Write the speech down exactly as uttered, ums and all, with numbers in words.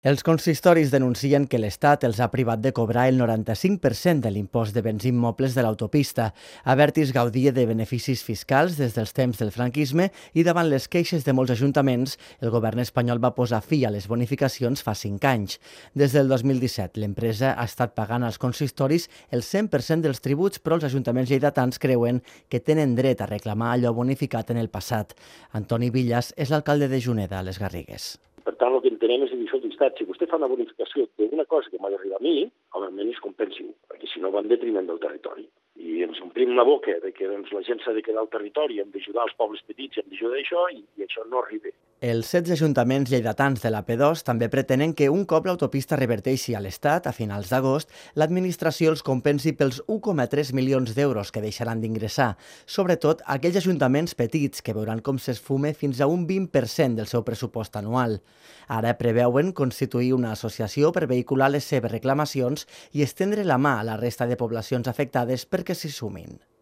Els consistoris denuncien que l'Estat els ha privat de cobrar el noranta-cinc per cent de l'impost de béns immobles de l'autopista. Abertis gaudia de beneficis fiscals des dels temps del franquisme i davant les queixes de molts ajuntaments, el govern espanyol va posar fi a les bonificacions fa cinc anys. Des del dos mil disset, l'empresa ha estat pagant als consistoris el cent per cent dels tributs, però els ajuntaments lleidatans creuen que tenen dret a reclamar allò bonificat en el passat. Antoni Villas és l'alcalde de Juneda, a les Garrigues. Per tant, el que entenem és dir, escolta, si vostè fa una bonificació d'una cosa que m'ha d'arribar a mi, almenys compensi-ho, perquè si no va en detriment del territori. I ens omplim la boca de que doncs, la gent s'ha de quedar al territori, hem d'ajudar els pobles petits, hem d'ajudar això, i, i això no arriba. Els setze ajuntaments lleidatans de la P dos també pretenen que un cop l'autopista reverteixi a l'Estat, a finals d'agost, l'administració els compensi pels u coma tres milions d'euros que deixaran d'ingressar, sobretot aquells ajuntaments petits que veuran com s'esfume fins a un vint per cent del seu pressupost anual. Ara preveuen constituir una associació per vehicular les seves reclamacions i estendre la mà a la resta de poblacions afectades perquè s'hi sumin.